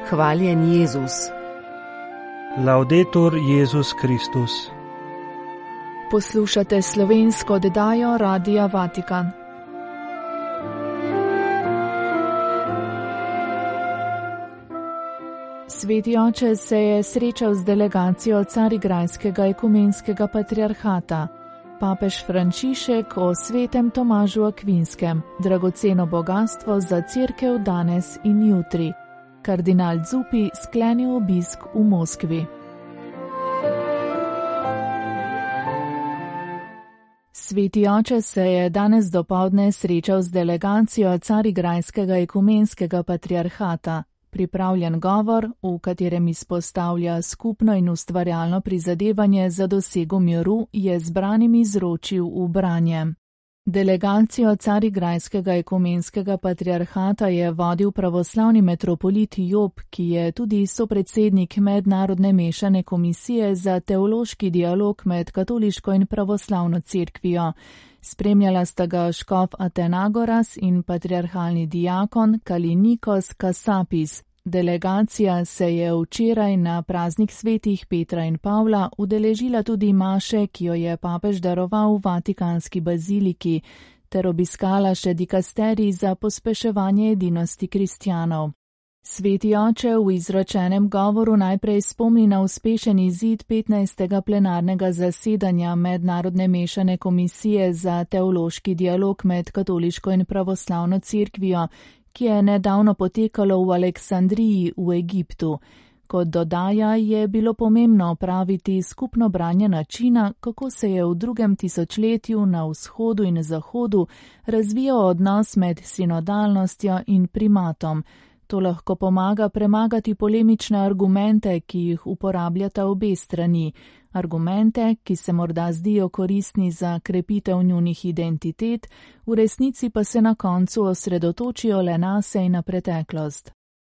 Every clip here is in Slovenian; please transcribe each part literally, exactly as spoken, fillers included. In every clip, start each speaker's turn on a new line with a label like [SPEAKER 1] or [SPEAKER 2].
[SPEAKER 1] Hvaljen Jezus.
[SPEAKER 2] Laudetur Jezus Kristus.
[SPEAKER 3] Poslušate slovensko oddajo Radia Vatikan. Sveti oče se je srečal z delegacijo Carigrajskega ekumenskega patriarhata. Papež Frančišek o svetem Tomažu Akvinskem, dragoceno bogastvo za cerkev danes in jutri. Kardinal Zuppi sklenil obisk v Moskvi. Sveti oče se je danes dopoldne srečal z delegacijo Carigrajskega ekumenskega patriarhata. Pripravljen govor, v katerem izpostavlja skupno in ustvarjalno prizadevanje za dosego miru, je zbranim izročil v branje. Delegacijo Carigrajskega ekumenskega patriarhata je vodil pravoslavni metropolit Job, ki je tudi sopredsednik Mednarodne mešane komisije za teološki dialog med katoliško in pravoslavno cerkvijo. Spremljala sta ga škof Atenagoras in patriarhalni diakon Kalinikos Kasapis. Delegacija se je včeraj na praznik svetih Petra in Pavla udeležila tudi maše, ki jo je papež daroval v Vatikanski baziliki, ter obiskala še dikasterij za pospeševanje edinosti kristjanov. Sveti oče v izrečenem govoru najprej spomni na uspešen izid petnajstega plenarnega zasedanja Mednarodne mešane komisije za teološki dialog med katoliško in pravoslavno cerkvijo, ki je nedavno potekalo v Aleksandriji v Egiptu. Kot dodaja, je bilo pomembno opraviti skupno branje načina, kako se je v drugem tisočletju na vzhodu in zahodu razvijal odnos med sinodalnostjo in primatom. To lahko pomaga premagati polemične argumente, ki jih uporabljata obe strani. Argumente, ki se morda zdijo koristni za krepitev njunih identitet, v resnici pa se na koncu osredotočijo le nase in na preteklost.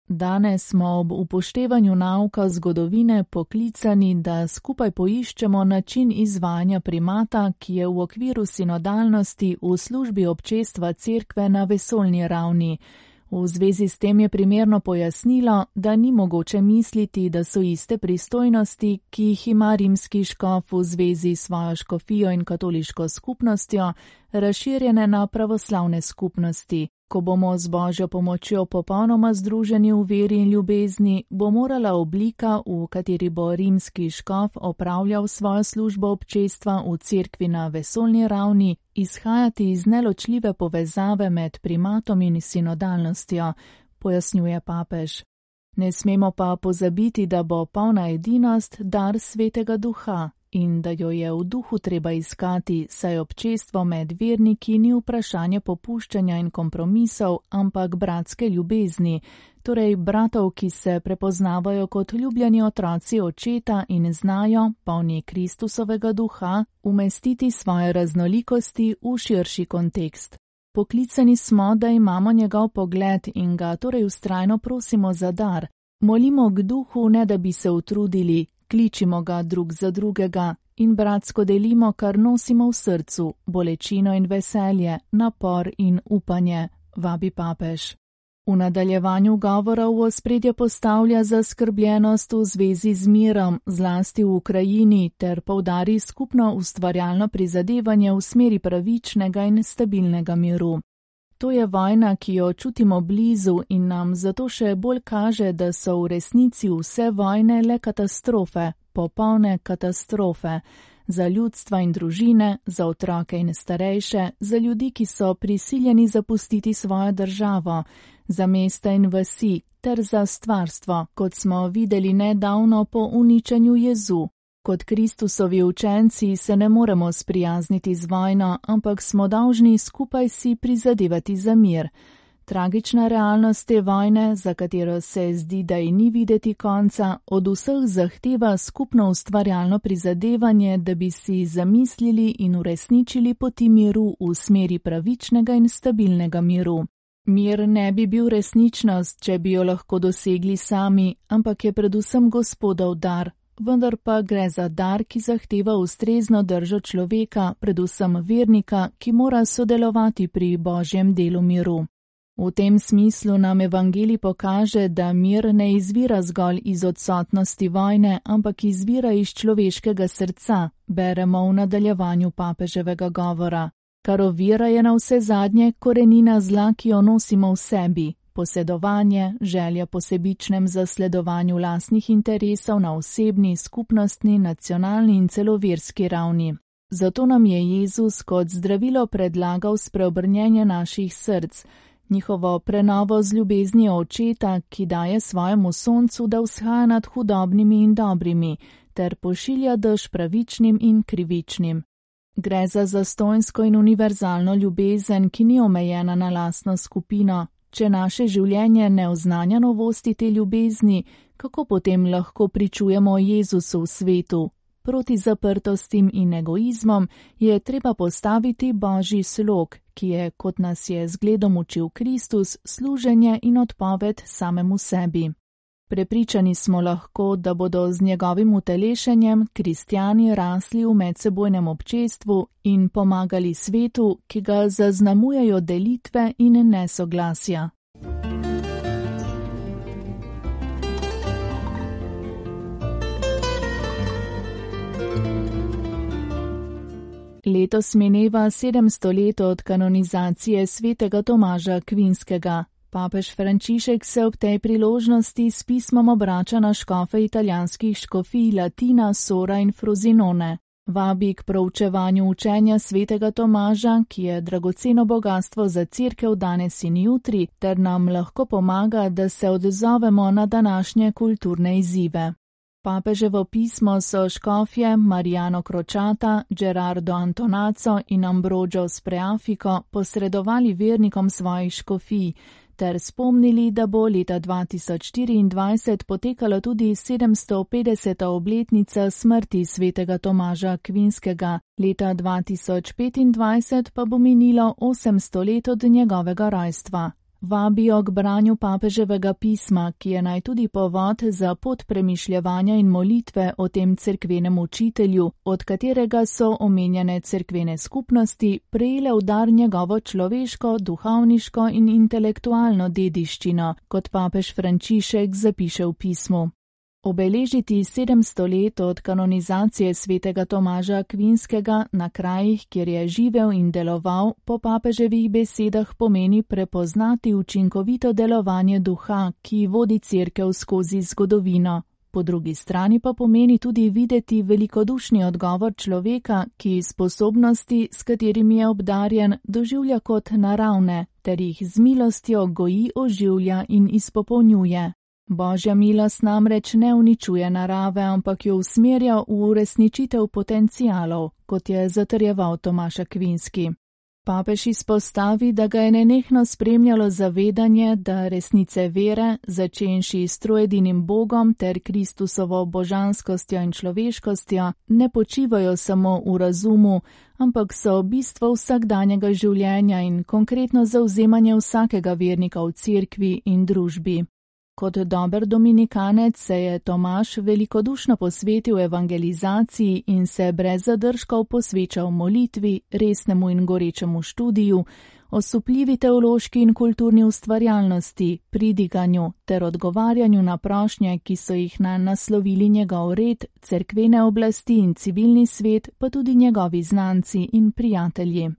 [SPEAKER 3] Danes smo ob upoštevanju nauka zgodovine poklicani, da skupaj poiščemo način izvajanja primata, ki je v okviru sinodalnosti v službi občestva cerkve na vesoljni ravni. V zvezi s tem je primerno pojasnilo, da ni mogoče misliti, da so iste pristojnosti, ki jih ima rimski škof v zvezi s svojo škofijo in katoliško skupnostjo, razširjene na pravoslavne skupnosti. Ko bomo z Božjo pomočjo popolnoma združeni v veri in ljubezni, bo morala oblika, v kateri bo rimski škof opravljal svojo službo občestva v cerkvi na vesoljni ravni, izhajati iz neločljive povezave med primatom in sinodalnostjo, pojasnjuje papež. Ne smemo pa pozabiti, da bo polna edinost dar Svetega Duha in da jo je v duhu treba iskati, saj občestvo med verniki ni vprašanje popuščanja in kompromisov, ampak bratske ljubezni, torej bratov, ki se prepoznavajo kot ljubljeni otroci očeta in znajo, polni Kristusovega duha, umestiti svoje raznolikosti v širši kontekst. Poklicani smo, da imamo njegov pogled in ga torej vztrajno prosimo za dar. Molimo k duhu, ne da bi se utrudili, kličimo ga drug za drugega in bratsko delimo, kar nosimo v srcu, bolečino in veselje, napor in upanje, vabi papež. V nadaljevanju govora v ospredje postavlja zaskrbljenost v zvezi z mirom, zlasti v Ukrajini, ter poudari skupno ustvarjalno prizadevanje v smeri pravičnega in stabilnega miru. To je vojna, ki jo čutimo blizu in nam zato še bolj kaže, da so v resnici vse vojne le katastrofe, popolne katastrofe, za ljudstva in družine, za otroke in starejše, za ljudi, ki so prisiljeni zapustiti svojo državo, za mesta in vasi, ter za stvarstvo, kot smo videli nedavno po uničenju Jezu. Kot Kristusovi učenci se ne moremo sprijazniti z vojno, ampak smo dolžni skupaj si prizadevati za mir. Tragična realnost te vojne, za katero se zdi, da ji ni videti konca, od vseh zahteva skupno ustvarjalno prizadevanje, da bi si zamislili in uresničili poti miru v smeri pravičnega in stabilnega miru. Mir ne bi bil resničnost, če bi jo lahko dosegli sami, ampak je predvsem Gospodov dar. Vendar pa gre za dar, ki zahteva ustrezno držo človeka, predvsem vernika, ki mora sodelovati pri Božjem delu miru. V tem smislu nam evangelij pokaže, da mir ne izvira zgolj iz odsotnosti vojne, ampak izvira iz človeškega srca, beremo v nadaljevanju papeževega govora. Kar ovira je na vse zadnje korenina zla, ki jo nosimo v sebi, posedovanje, želja po sebičnem zasledovanju lastnih interesov na osebni, skupnostni, nacionalni in celo verski ravni. Zato nam je Jezus kot zdravilo predlagal spreobrnjenje naših src, njihovo prenovo z ljubeznijo očeta, ki daje svojemu soncu, da vzhaja nad hudobnimi in dobrimi, ter pošilja dež pravičnim in krivičnim. Gre za zastonjsko in univerzalno ljubezen, ki ni omejena na lastno skupino. Če naše življenje ne oznanja novosti te ljubezni, kako potem lahko pričujemo Jezusu v svetu? Proti zaprtostim in egoizmom je treba postaviti Božji slog, ki je, kot nas je zgledom učil Kristus, služenje in odpoved samemu sebi. Prepričani smo lahko, da bodo z njegovim utelešenjem kristjani rasli v medsebojnem občestvu in pomagali svetu, ki ga zaznamujejo delitve in nesoglasja. Letos mineva sedemsto let od kanonizacije svetega Tomaža Akvinskega. Papež Frančišek se ob tej priložnosti s pismom obrača na škofe italijanskih škofij Latina, Sora in Frosinone. Vabi k proučevanju učenja svetega Tomaža, ki je dragoceno bogatstvo za cerkev danes in jutri, ter nam lahko pomaga, da se odzovemo na današnje kulturne izzive. Papeževo pismo so škofje Mariano Crociata, Gerardo Antonaco in Ambrogio Spreafico posredovali vernikom svojih škofij, ter spomnili, da bo leta dva tisoč štiriindvajset potekala tudi sedemsto petdeseta obletnica smrti svetega Tomaža Akvinskega, leta dva tisoč petindvajset pa bo minilo osemsto let od njegovega rojstva. Vabijo k branju papeževega pisma, ki je naj tudi povod za pot premišljevanja in molitve o tem cerkvenem učitelju, od katerega so omenjene cerkvene skupnosti prejele v dar njegovo človeško, duhovniško in intelektualno dediščino, kot papež Frančišek zapiše v pismu. Obeležiti sedemsto let od kanonizacije svetega Tomaža Akvinskega na krajih, kjer je živel in deloval, po papeževih besedah pomeni prepoznati učinkovito delovanje duha, ki vodi cerkev skozi zgodovino. Po drugi strani pa pomeni tudi videti velikodušni odgovor človeka, ki sposobnosti, s katerimi je obdarjen, doživlja kot naravne, ter jih z milostjo goji, oživlja in izpopolnjuje. Božja milost namreč ne uničuje narave, ampak jo usmerja v uresničitev potencialov, kot je zatrjeval Tomaž Akvinski. Papež izpostavi, da ga je nenehno spremljalo zavedanje, da resnice vere, začenši s troedinim Bogom ter Kristusovo božanskostjo in človeškostjo, ne počivajo samo v razumu, ampak so bistvo vsakdanjega življenja in konkretno zavzemanje vsakega vernika v cerkvi in družbi. Kot dober dominikanec se je Tomaž velikodušno posvetil evangelizaciji in se brez zadržkov posvečal molitvi, resnemu in gorečemu študiju, osupljivi teološki in kulturni ustvarjalnosti, pridiganju ter odgovarjanju na prošnje, ki so jih nanj naslovili njegov red, cerkvene oblasti in civilni svet, pa tudi njegovi znanci in prijatelji.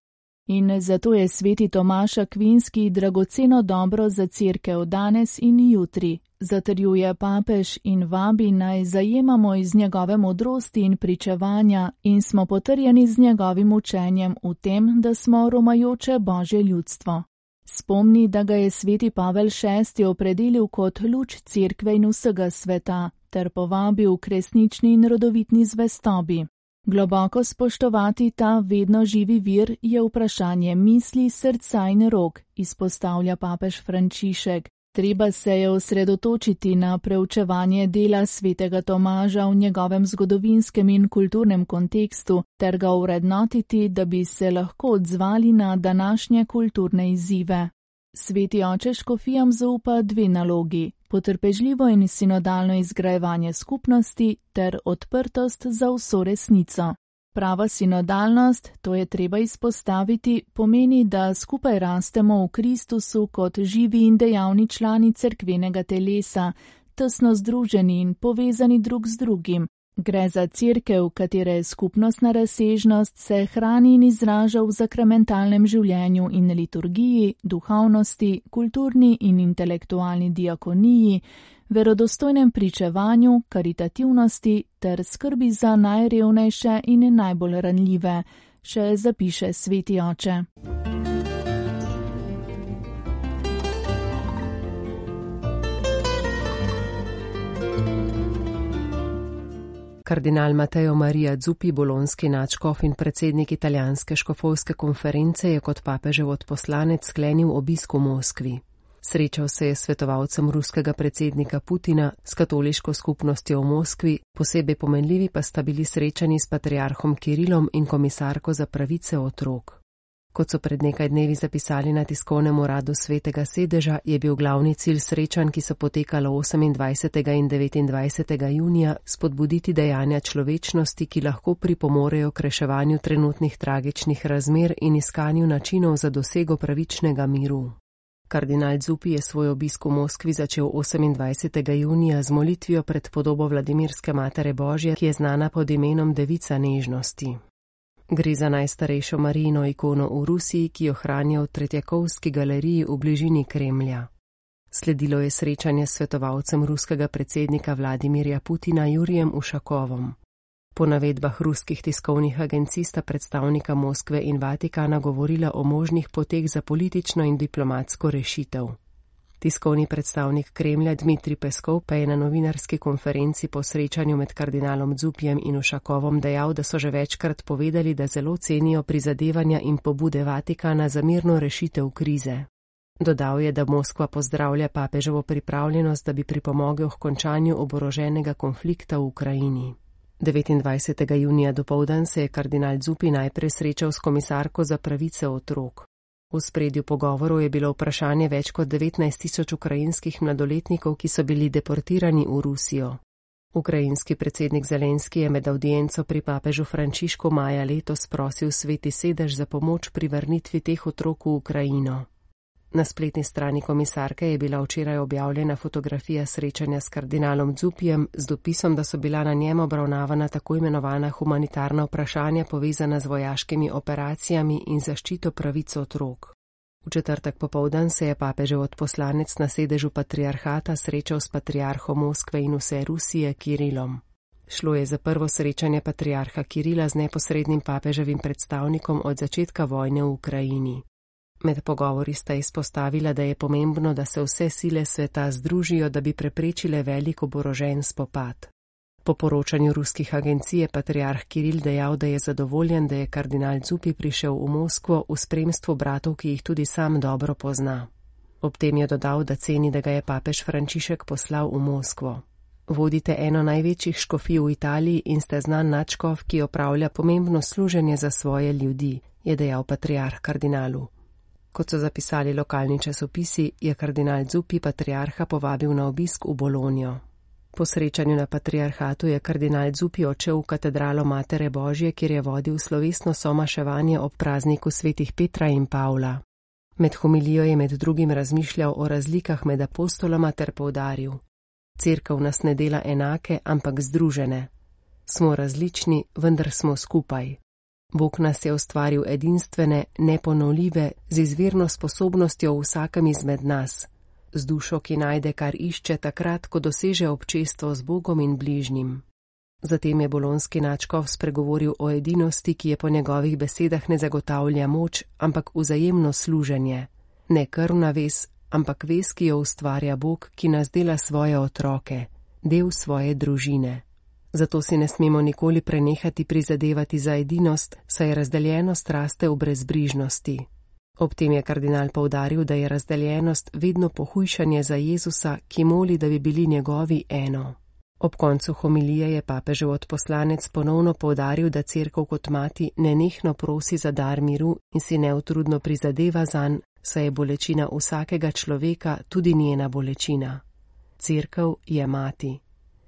[SPEAKER 3] In zato je sveti Tomaž Akvinski dragoceno dobro za cerkev danes in jutri, zatrjuje papež in vabi naj zajemamo iz njegove modrosti in pričevanja in smo potrjeni z njegovim učenjem v tem, da smo romajoče Božje ljudstvo. Spomni, da ga je sveti Pavel šesti opredelil kot luč cerkve in vsega sveta, ter povabil k resnični in rodovitni zvestobi. Globoko spoštovati ta vedno živi vir je vprašanje misli, srca in rok, izpostavlja papež Frančišek. Treba se je osredotočiti na preučevanje dela svetega Tomaža v njegovem zgodovinskem in kulturnem kontekstu ter ga vrednotiti, da bi se lahko odzvali na današnje kulturne izzive. Sveti oče škofijam zaupa dve nalogi: potrpežljivo in sinodalno izgrajevanje skupnosti ter odprtost za vso resnico. Prava sinodalnost, to je treba izpostaviti, pomeni, da skupaj rastemo v Kristusu kot živi in dejavni člani cerkvenega telesa, tesno združeni in povezani drug z drugim. Gre za cerkev, katere skupnostna razsežnost se hrani in izraža v sakramentalnem življenju in liturgiji, duhovnosti, kulturni in intelektualni diakoniji, verodostojnem pričevanju, karitativnosti ter skrbi za najrevnejše in najbolj ranljive, še zapiše sveti oče.
[SPEAKER 1] Kardinal Matteo Maria Zuppi, bolonski nadškof in predsednik italijanske škofovske konference, je kot papežev odposlanec sklenil obisk v Moskvi. Srečal se je s svetovalcem ruskega predsednika Putina, s katoliško skupnostjo v Moskvi, posebej pomenljivi pa sta bili srečani s patriarhom Kirilom in komisarko za pravice otrok. Kot so pred nekaj dnevi zapisali na tiskovnem uradu Svetega sedeža, je bil glavni cilj srečanj, ki so potekala osemindvajsetega in devetindvajsetega junija, spodbuditi dejanja človečnosti, ki lahko pripomorejo k reševanju trenutnih tragičnih razmer in iskanju načinov za dosego pravičnega miru. Kardinal Zuppi je svoj obisk v Moskvi začel osemindvajsetega junija z molitvijo pred podobo Vladimirske Matere Božje, ki je znana pod imenom Devica nežnosti. Gre za najstarejšo Marijino ikono v Rusiji, ki jo hranijo v Tretjakovski galeriji v bližini Kremlja. Sledilo je srečanje s svetovalcem ruskega predsednika Vladimirja Putina Jurijem Ušakovom. Po navedbah ruskih tiskovnih agencij sta predstavnika Moskve in Vatikana govorila o možnih poteh za politično in diplomatsko rešitev. Tiskovni predstavnik Kremlja Dmitrij Peskov pa je na novinarski konferenci po srečanju med kardinalom Zuppijem in Ušakovom dejal, da so že večkrat povedali, da zelo cenijo prizadevanja in pobude Vatikana za mirno rešitev krize. Dodal je, da Moskva pozdravlja papeževo pripravljenost, da bi pripomogel k končanju oboroženega konflikta v Ukrajini. devetindvajsetega junija dopoldan se je kardinal Zuppi najprej srečal s komisarko za pravice otrok. V spredju pogovorov je bilo vprašanje več kot devetnajst tisoč ukrajinskih mladoletnikov, ki so bili deportirani v Rusijo. Ukrajinski predsednik Zelenski je med avdienco pri papežu Frančišku maja letos prosil Sveti sedež za pomoč pri vrnitvi teh otrok v Ukrajino. Na spletni strani komisarke je bila včeraj objavljena fotografija srečanja s kardinalom Zuppijem z dopisom, da so bila na njem obravnavana tako imenovana humanitarna vprašanja povezana z vojaškimi operacijami in zaščito pravic otrok. V četrtek popoldan se je papežev odposlanec na sedežu patriarhata srečal s patriarhom Moskve in vse Rusije Kirilom. Šlo je za prvo srečanje patriarha Kirila z neposrednim papeževim predstavnikom od začetka vojne v Ukrajini. Med pogovori sta izpostavila, da je pomembno, da se vse sile sveta združijo, da bi preprečile velik oborožen spopad. Po poročanju ruskih agencij je patriarh Kiril dejal, da je zadovoljen, da je kardinal Zuppi prišel v Moskvo v spremstvu bratov, ki jih tudi sam dobro pozna. Ob tem je dodal, da ceni, da ga je papež Frančišek poslal v Moskvo. Vodite eno največjih škofij v Italiji in ste znan nadškof, ki opravlja pomembno služenje za svoje ljudi, je dejal patriarh kardinalu. Kot so zapisali lokalni časopisi, je kardinal Zuppi patriarha povabil na obisk v Bolonjo. Po srečanju na patriarhatu je kardinal Zuppi odšel v katedralo Matere Božje, kjer je vodil slovesno somaševanje ob prazniku svetih Petra in Pavla. Med homilijo je med drugim razmišljal o razlikah med apostoloma ter poudaril: Cerkev nas ne dela enake, ampak združene. Smo različni, vendar smo skupaj. Bog nas je ustvaril edinstvene, neponovljive, z izvirno sposobnostjo v vsakem izmed nas, z dušo, ki najde, kar išče takrat, ko doseže občestvo z Bogom in bližnjim. Zatem je bolonski nadškof spregovoril o edinosti, ki je po njegovih besedah ne zagotavlja moč, ampak vzajemno služenje. Ne krvna vez, ampak vez, ki jo ustvarja Bog, ki nas dela svoje otroke, del svoje družine. Zato si ne smemo nikoli prenehati prizadevati za edinost, saj razdeljenost raste v brezbrižnosti. Ob tem je kardinal poudaril, da je razdeljenost vedno pohujšanje za Jezusa, ki moli, da bi bili njegovi eno. Ob koncu homilije je papežev odposlanec ponovno poudaril, da cerkev kot mati nenehno prosi za dar miru in si neutrudno prizadeva zanj, saj je bolečina vsakega človeka tudi njena bolečina. Cerkev je mati.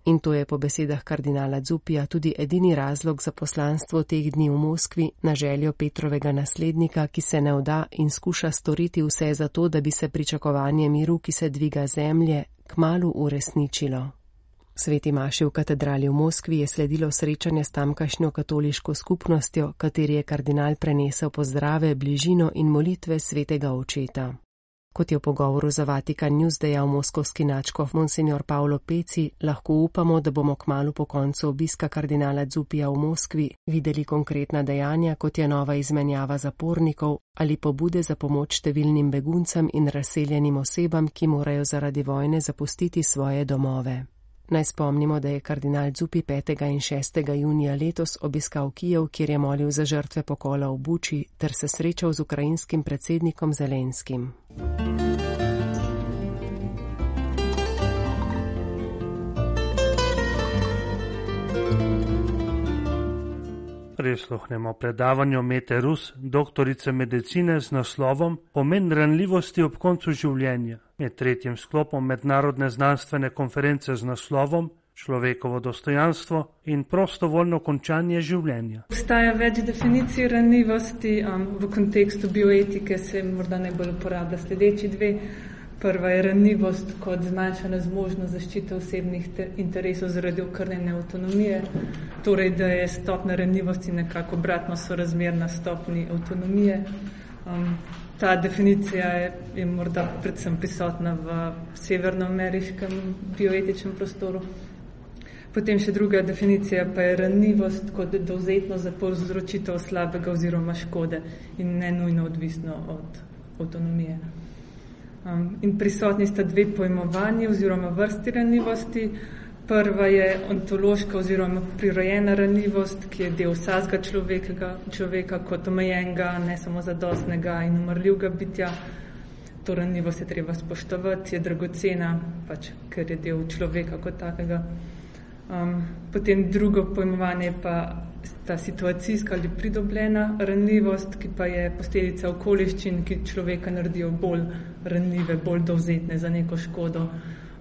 [SPEAKER 1] In to je po besedah kardinala Zupija tudi edini razlog za poslanstvo teh dni v Moskvi na željo Petrovega naslednika, ki se ne vda in skuša storiti vse za to, da bi se pričakovanje miru, ki se dviga zemlje, kmalu uresničilo. Sveti maši v katedrali v Moskvi je sledilo srečanje s tamkajšnjo katoliško skupnostjo, kateri je kardinal prenesel pozdrave, bližino in molitve svetega očeta. Kot je v pogovoru za Vatikan News dejal moskovski nadškof monsignor Paolo Peci, lahko upamo, da bomo kmalu po koncu obiska kardinala Zupija v Moskvi videli konkretna dejanja, kot je nova izmenjava zapornikov ali pobude za pomoč številnim beguncem in razseljenim osebam, ki morajo zaradi vojne zapustiti svoje domove. Naj spomnimo, da je kardinal Zupi petega in šestega junija letos obiskal Kijev, kjer je molil za žrtve pokola v Buči ter se srečal z ukrajinskim predsednikom Zelenskim.
[SPEAKER 2] Prisluhnemo predavanju Mete Rus, doktorice medicine z naslovom Pomen ranljivosti ob koncu življenja, med tretjim sklopom mednarodne znanstvene konference z naslovom Človekovo dostojanstvo in prostovoljno končanje življenja.
[SPEAKER 4] Obstaja več definicij ranljivosti, um, v kontekstu bioetike se morda najbolj uporablja sledeči dve. Prva je ranljivost kot zmanjšana zmožnost zaščite osebnih interesov zaradi okrnjene avtonomije, torej da je stopnja ranljivosti nekako obratno sorazmerna stopnji avtonomije. Um, ta definicija je, je morda predvsem prisotna v severnoameriškem bioetičnem prostoru. Potem še druga definicija pa je ranljivost kot dovzetnost za povzročitev slabega oziroma škode in ne nujno odvisno od avtonomije. Um, in prisotni sta dve pojmovanji oziroma vrsti ranljivosti. Prva je ontološka oziroma prirojena ranljivost, ki je del vsakega človeka, človeka kot omejenega, ne samo zadostnega in umrljivega bitja. To ranljivost je treba spoštovati, je dragocena, pač, ker je del človeka kot takega. Um, potem drugo pojmovanje pa ta situacijska ali pridobljena ranljivost, ki pa je posledica okoliščin, ki človeka naredijo bolj ranljive, bolj dovzetne za neko škodo,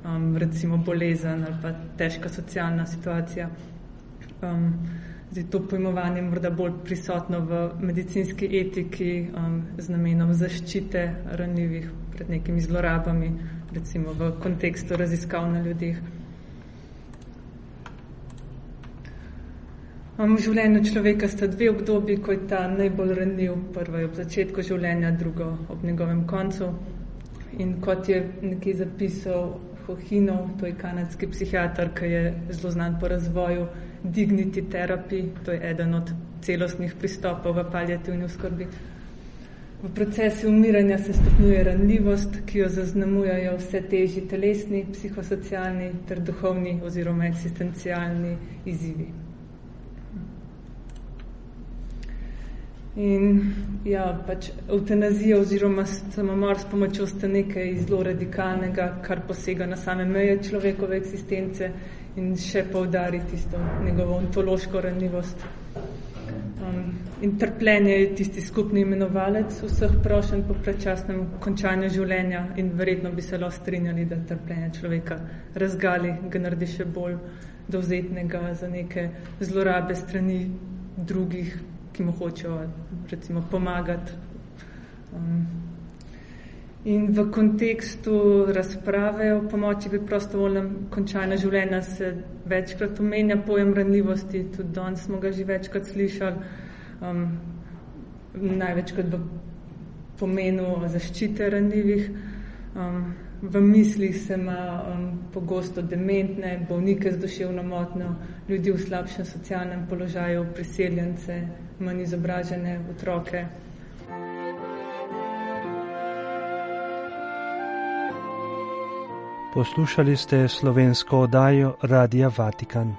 [SPEAKER 4] um, recimo bolezen ali pa težka socialna situacija. Um, zdaj, to pojmovanje je morda bolj prisotno v medicinski etiki um, z namenom zaščite ranljivih pred nekimi zlorabami, recimo v kontekstu raziskav na ljudeh. V življenju človeka sta dve obdobji, ko je ta najbolj ranljiv. Prvo je ob začetku življenja, drugo ob njegovem koncu. In kot je nekaj zapisal Hohinov, to je kanadski psihiater, ki je zelo znan po razvoju dignity therapy, to je eden od celostnih pristopov v paliativni oskrbi. V procesu umiranja se stopnjuje ranljivost, ki jo zaznamujejo vse težji telesni, psihosocialni ter duhovni oziroma eksistencialni izzivi. In ja, pač evtanazija oziroma samomor s pomočjo sta nekaj zelo radikalnega, kar posega na same meje človekove eksistence in še poudari tisto njegovo ontološko ranljivost. Um, in trpljenje je tisti skupni imenovalec vseh prošenj po predčasnem končanju življenja in verjetno bi se lahko strinjali, da trpljenje človeka razgali, ga naredi še bolj dovzetnega za neke zlorabe strani drugih, ki mu hočejo recimo pomagati. Um, in v kontekstu razprave o pomoči pri prostovoljnem končanju življenja se večkrat omenja pojem ranljivosti, tudi danes smo ga že večkrat slišali, um, največkrat v pomenu zaščite ranljivih. Um, v mislih se ima um, pogosto dementne, bolnike z duševno motnjo, ljudi v slabšem socialnem položaju, priseljence, manj izobražene otroke.
[SPEAKER 2] Poslušali ste slovensko oddajo Radia Vatikan.